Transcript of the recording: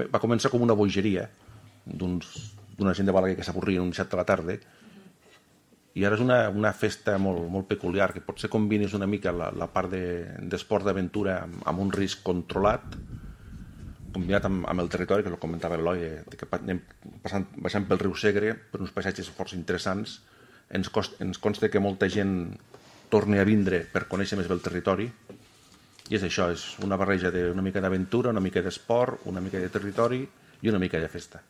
Va començar com una bogeria d'una gent de Balaguer que s'avorrien un dissabte a la tarda, i ara és una festa molt peculiar, que potser combines una mica la part d'esport d'aventura amb un risc controlat, combinat amb el territori, que ho comentava l'Eloi, que anem baixant pel riu Segre per uns paisatges força interessants. Ens consta que molta gent torni a vindre per conèixer més bé el territori, i és això, és una barreja d'una mica d'aventura, una mica d'esport, una mica de territori i una mica de festa.